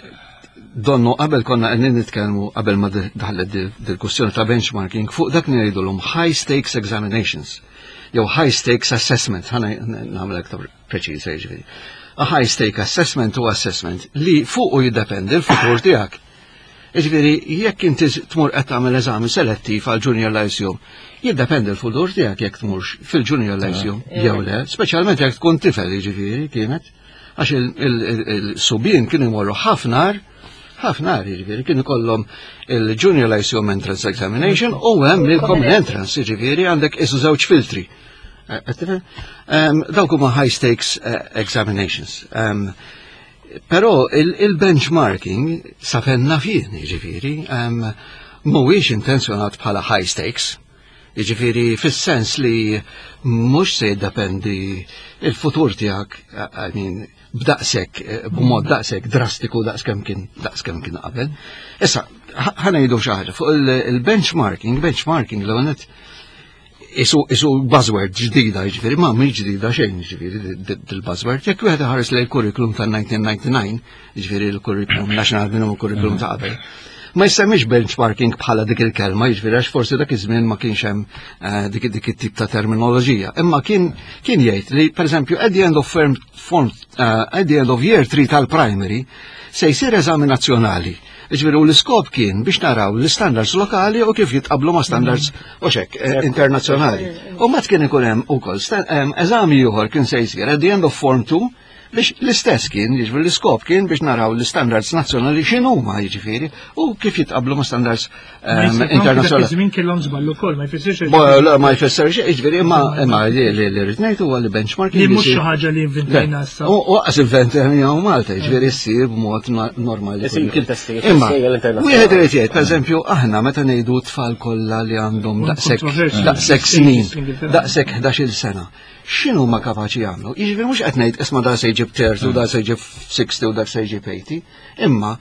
donnu qabel konna qegħdin nitkellmu qabel ma daħlet dil-kwestjoni ta' benchmarking fuq dak li ngħidulhom high stakes examinations jew high stakes assessment, ħana nagħmel aktar preċiża jiġifieri. A high stake assessment u assessment li fuqu jiddependi l-futur tiegħek. Jiġifieri jekk inti tmur qed tagħmel eżami selettiv għal Junior Lyceum, jiddependi l-futur tiegħek jekk tmurx fil-Junior Lyceum jew le, speċjalment jekk tkun tifel jiġifieri kienet, għax il-subien kienu jmorru ħafna ħafna jiġifieri kienu kollhom il-Junior Lyceum Entrance Examination u hemm il-Common Entrance, jiġifieri għandek isu żewġ filtri. Dawk huma high stakes examinations. Però il-benchmarking sa fejn naf jien, jiġifieri, mhuwiex intenzjonat bħala high stakes. Jiġifieri fis-sens li mhux se jiddependi il-futur tiegħek, I mean, b'daqshekk, b'mod daqshekk drastiku daqskemm kien daqskemm kien qabel. Issa, ħa ngħidu xi ħaġa fuq il-benchmarking, benchmarking l isu isu buzzword ġdida, jiġifieri ma mhix ġdida xejn, jiġifieri dil-buzzword. Jekk wieħed iħares lejn il-curriculum tal-1999, jiġifieri l-curriculum National Minimum Curriculum ta' qabel, ma jsemmix benchmarking bħala dik il-kelma, jiġifieri għax forsi dak iż-żmien ma kienx hemm dik dik it-tip ta' terminoloġija. Imma kien kien jgħid li pereżempju at the end of form, form at the end of year 3 tal-primary se jsir eżami nazzjonali. Ġifieri u l-iskop kien biex naraw l-standards lokali u kif jitqablu ma' standards u xek internazzjonali. U mat kien ikun hemm ukoll eżami ieħor kien se jsir at the end of form 2 biex l-istess kien, jiġifieri l-iskop kien biex naraw l-standards nazzjonali x'inhuma jiġifieri u kif jitqablu ma' standards internazzjonali. Żmien kellhom żball ukoll, ma jfissirx. Ma jfissirx, jiġifieri imma imma li li rrid ngħid huwa li benchmarking. Li mhux xi ħaġa li inventajna issa. U qas inventejna Malta, jiġifieri ssir b'mod normali. Imma wieħed irid jgħid, pereżempju, aħna meta ngħidu tfal kollha li għandhom daqshekk daqshekk snin, daqshekk 11-il sena x'inhu ma kapaċi jagħmlu? Jiġifieri mhux qed ngħid isma' da se jġib 30 u da se jġib 60 u dak se jġib 80, imma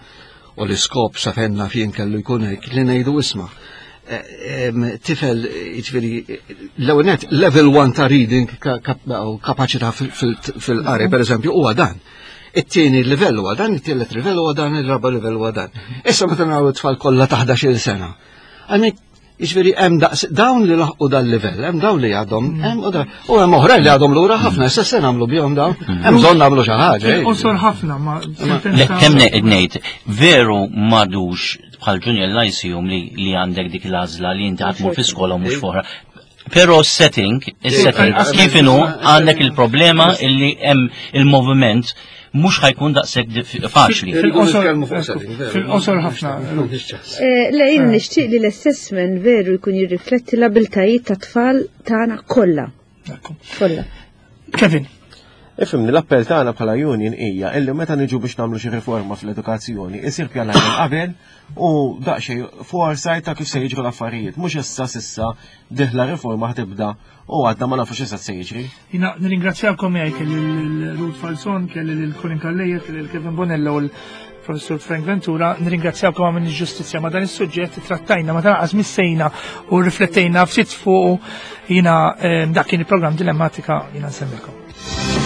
u l-iskop sa fejn naf jien kellu jkun hekk li ngħidu isma' tifel jiġifieri l-ewwel net level 1 ta' reading u kapaċità fil-qari pereżempju huwa dan. It-tieni livell huwa dan, it-tielet livell huwa dan, ir-raba' livell huwa dan. Issa meta naraw it-tfal kollha ta' 11-il sena. Għalhekk jiġifieri hemm daqs dawn li laħqu dal-livell, hemm dawn li għadhom, hemm u u hemm oħrajn li għadhom lura ħafna, issa se nagħmlu bihom dawn, hemm bżonn nagħmlu xi ħaġa. Qosor ħafna ma. Le, kemm ngħid, veru m'għadux bħal Junior Lyceum li għandek dik l-għażla li inti ħa tmur fi skola u mhux f'oħra. Però setting, il-setting, kif inhu għandek il-problema illi hemm il-moviment mhux ħa jkun daqshekk faċli. Fil-qosor ħafna. Le, jien nixtieq li l-assessment veru jkun jirrifletti l-abiltajiet ta' tfal tagħna kollha. Kollha. Kevin. Ifhimni, l-appell tagħna bħala union hija illi meta niġu biex nagħmlu xi riforma fl-edukazzjoni, isir pjanar minn qabel u daqsxejn foresight ta' kif se jiġru l-affarijiet. Mhux issa sissa dieħla riforma ħa tibda u għadna ma nafux issa se jiġri. Jiena nirringrazzjakom jgħid kelli l-Ruth Falzon, kelli l-Colin Calleja, kelli l-Kevin Bonello u l-Professor Frank Ventura, nirringrazzjakom għamil ġustizzja ma dan is-suġġett trattajna ma tanqas missejna u riflettejna ftit fuq jiena dak kien il-programm Dilemmatika jiena nsemmilkom.